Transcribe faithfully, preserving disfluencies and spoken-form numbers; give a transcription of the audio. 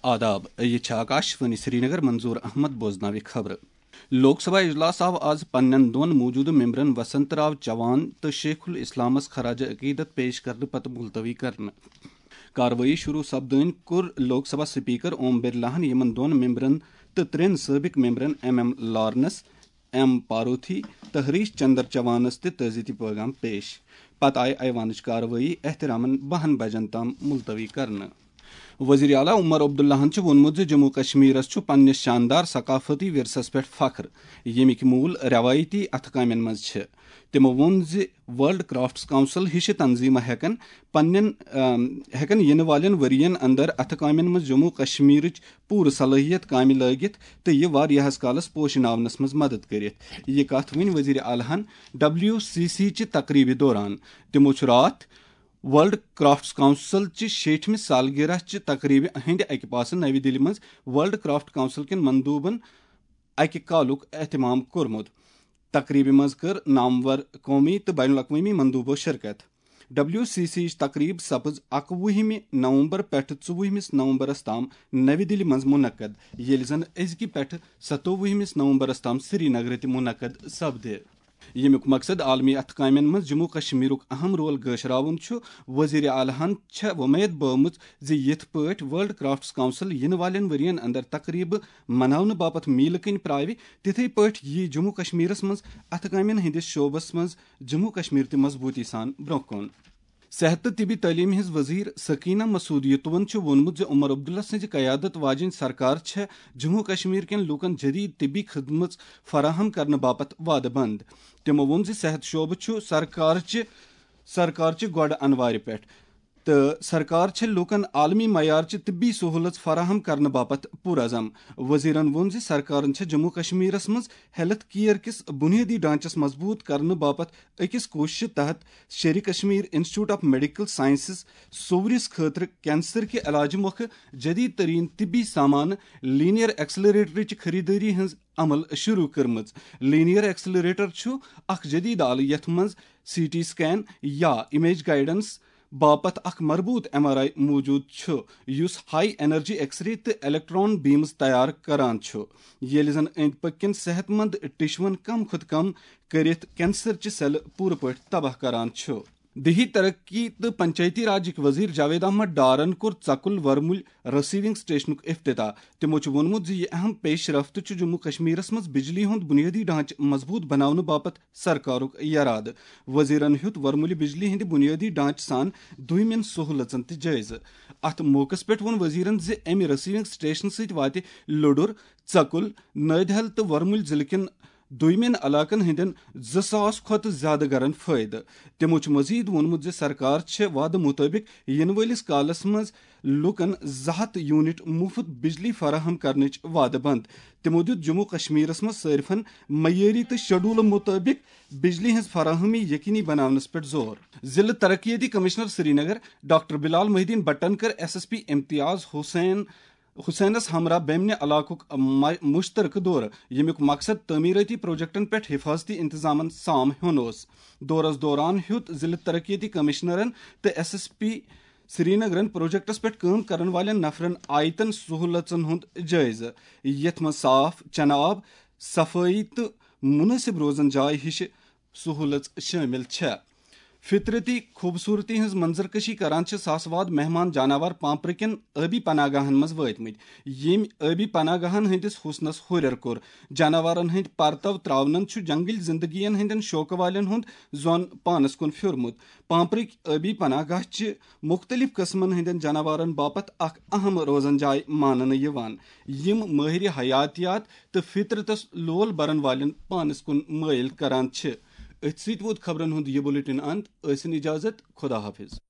آداب، یہِ چھِ آکاش وانی سرینگر، منظور احمد بوزناوِ خبرٕ۔ لوک سبھا اجلاس آو آز پننٮ۪ن دۄن موٗجوٗدٕ ممبرن وسنت راو چوان تہٕ شیخ الاسلامس خراج عقیدت پیش کرنہٕ پتہٕ ملتوی کرنہٕ۔ کاروٲیی شروع سپدٲنۍ کوٚر لوک سبھا سپیکر اوم برلاہن یِمن دۄن ممبرن تہٕ ترٛٮ۪ن سٲبق ممبرن M M Lawrence, M Parvathy تہٕ ہریش چندر چوانس تہِ تعزیتی پیغام پیش۔ پتہٕ آیہِ ایوانٕچ کاروٲیی احترامن بَہَن بجن تام ملتوی کرنہٕ۔ وزیر اعلیٰ عمر عبداللہن چھُ ووٚنمُت زِ جموں کشمیرس چھُ پننِس شاندار ثقافتی ورثس پٮ۪ٹھ فخر، ییٚمِکۍ موٗل رٮ۪وایتی اَتھٕ کامٮ۪ن منٛز چھِ۔ تِمو ووٚن زِ ورلڈ کرافٹس کونسل ہِشہِ تنظیمہٕ ہٮ۪کن پننٮ۪ن، ام، ہٮ۪کن یِنہٕ والٮ۪ن ؤرین اندر اَتھٕ کامٮ۪ن منٛز جموں کشمیرٕچ پوٗرٕ صلٲحیت کامہِ لٲگِتھ تہٕ یہِ واریاہس کالس پوشناونس منٛز مدد کٔرِتھ۔ یہِ کتھ ؤنۍ وزیر اعلیٰ ہن ڈبلیو سی سی چہِ تقریبہِ دوران۔ تِمو چھُ راتھ ورلڈ کرافٹس کونسل چہِ شیٹھمہِ سالگرہ چہِ تقریبہِ ہٕنٛدِ اکہِ پاسہٕ نَوِ دِلہِ منٛز ورلڈ کرافٹ کونسل کٮ۪ن مندوٗبن اکہِ کالُک اہتمام کوٚرمُت۔ تقریبہِ منٛز کٔر نامور قومی تہٕ بین الاقوٲمی مندوٗبو شرکت۔ ڈبلیو سی سی یِچ تقریب سپٕز اَکوُہمہِ نومبر پٮ۪ٹھٕ ژوٚوُہمِس نومبرس تام نَوِ دِلہِ منٛز منعقد، ییٚلہِ زن أزکہِ پٮ۪ٹھٕ ستووُہمِس نومبرس تام سرینگرٕ تہِ منعقد سپدِ۔ ییٚمیُک مقصد عالمی اَتھٕ کامٮ۪ن منٛز جموں کشمیرُک اہم رول گٲشراوُن چھُ۔ وزیر اعلیٰ ہن چھےٚ وۄمید بٲومٕژ زِ یِتھ پٲٹھۍ ورلڈ کرافٹس کونسل یِنہٕ والٮ۪ن ؤرین اندر تقریبہٕ مناونہٕ باپتھ میٖلہٕ کٔنۍ پراوِ، تِتھے پٲٹھۍ یِیہِ جموں کشمیرس منٛز اَتھٕ کامٮ۪ن ہٕنٛدِس شعبس منٛز جموں کشمیر تہِ مضبوٗطی سان برٛونٛہہ کُن۔ صحت تہٕ طبی تعلیٖم ہٕنٛز وزیر سکینہ مسعود یتوَن چھُ ووٚنمُت زِ عمر عبداللہ سٕنٛزِ قیادت واجیٚنۍ سرکار چھےٚ جموں کشمیر کٮ۪ن لوٗکن جدید طبی خدمژ فراہم کرنہٕ باپتھ وعدٕ بنٛد۔ تِمو ووٚن زِ صحت شعبہٕ چھُ سرکارچہِ، سرکارچہِ گۄڈٕ انوارِ پٮ۪ٹھ تہٕ سرکار چھےٚ لوٗکن عالمی معیارچہِ طبی سہوٗلژ فراہم کرنہٕ باپتھ پُرعزم۔ وزیرن ووٚن زِ سرکارن چھےٚ جموں کشمیرس منٛز ہیلتھ کیئر کِس بنیٲدی ڈھانچس مضبوٗط کرنہٕ باپتھ أکِس کوٗششہِ تحت Sher i Kashmir institute of medical sciences سوورِس خٲطرٕ کینسر کہِ علاجہٕ مۄکھٕ جدید ترین طبی سامان لینئر ایکسلریٹرٕچ خریدٲری ہٕنٛز عمل شروع کٔرمٕژ۔ لینئر ایکسلریٹر چھُ اکھ جدید آلہٕ یتھ منٛز سی ٹی سکین یا امیج گائیڈنس باپتھ اکھ مربوط ایم آر آئی موجود چھُ، یُس ہائی انرجی ایکس رے تہٕ الیکٹران بیمز تیار کران چھُ، ییٚلہِ زن أنٛدۍ پٔکۍ کٮ۪ن صحت مند ٹشوَن کم کھۄتہٕ کم کٔرِتھ کینسر چہِ سیلہٕ پوٗرٕ پٲٹھۍ تباہ کران چھُ۔ دیہی ترقی تہٕ پنچایتی راجٕکۍ وزیر جاوید احمد ڈارن کوٚر ژکُل ورمُلۍ ریسیونگ سٹیشنُک افتتاح۔ تِمو چھُ ووٚنمُت زِ یہِ اہم پیش رفت چھُ جموں کشمیرس منٛز بجلی ہُنٛد بنیٲدی ڈھانچہٕ مضبوٗط بناونہٕ باپتھ سرکارُک یرادٕ۔ وزیرن ہیوٚت ورمُلہِ بجلی ہٕنٛدِ بنیٲدی ڈھانچہٕ سان دویمٮ۪ن سہوٗلژن تہِ جٲیزٕ۔ اتھ موقعس پٮ۪ٹھ ووٚن وزیرن زِ امہِ ریسیونگ سٹیشن سۭتۍ واتہِ لوٚڈُر، ژکُل، نٲدِہل تہٕ ورمُلۍ ضلعہٕ کٮ۪ن دویمٮ۪ن علاقن ہٕنٛدٮ۪ن زٕ ساس کھۄتہٕ زیادٕ گرن فٲیدٕ۔ تِمو چھُ مزید ووٚنمُت زِ سرکار چھےٚ وعدٕ مُطٲبِق یِنہٕ وٲلِس کالس منٛز لوٗکن زٕ ہتھ یونٹ مُفت بجلی فراہم کرنٕچ وعدٕ بنٛد۔ تِمو دیُت جموں کشمیرس منٛز صٲرفن معیٲری تہٕ شیڈول مُطٲبِق بجلی ہٕنٛز فراہمی یقینی بناونس پٮ۪ٹھ زور۔ ضلعہٕ ترقیتی کمشنر سرینگر ڈاکٹر بلال محی الدین بٹن کٔر ایس ایس پی امتیاز حسین حسینس ہمراہ بیمنہِ علاقُک مُ-، مُشترکہٕ دورٕ، ییٚمیُک مقصد تعمیٖرٲتی پروجیکٹن پٮ۪ٹھ حفاظتی انتظامن سام ہیوٚن اوس۔ دورس دوران ہیوٚت ضلعہٕ ترقیتی کمشنرن تہٕ ایس ایس پی سرینگرن پروجیکٹس پٮ۪ٹھ کٲم کرن والٮ۪ن نفرن آیتن سہوٗلژن ہُنٛد جٲیزٕ، یتھ منٛز صاف چنہٕ آب، صفٲیی تہٕ مُنٲسِب روزن جاے ہِشہِ سہوٗلژ شٲمِل چھےٚ۔ فطرتی خوٗبصوٗرتی ہٕنٛز منظر کشی کران چھِ ساسہٕ واد مہمان جاناوار پامپرٕ کٮ۪ن ٲبی پناہ گاہن منٛز وٲتمٕتۍ، ییٚمۍ ٲبی پناہ گاہن ہٕنٛدِس حُسنس ہُرٮ۪ر کوٚر۔ جاناوارن ہٕنٛدۍ پرتو ترٛاونن چھُ جنگلی زندگین ہٕنٛدٮ۪ن شوقہٕ والٮ۪ن ہُنٛد ظۄن پانس کُن پھیورمُت۔ پامپرٕکۍ ٲبی پناہ گاہ چھِ مُختٔلِف قٕسمن ہٕنٛدٮ۪ن جاناوارن باپتھ اکھ اہم روزن جاے ماننہٕ یِوان، یِم مٲہرِ حیاتیات تہٕ فطرتس لول برن والٮ۪ن پانس کُن مٲیِل کران چھِ۔ أتھۍ سۭتۍ ووت خبرن ہُنٛد یہِ بُلٹن اند۔ ٲسِن اجازت، خدا حافظ۔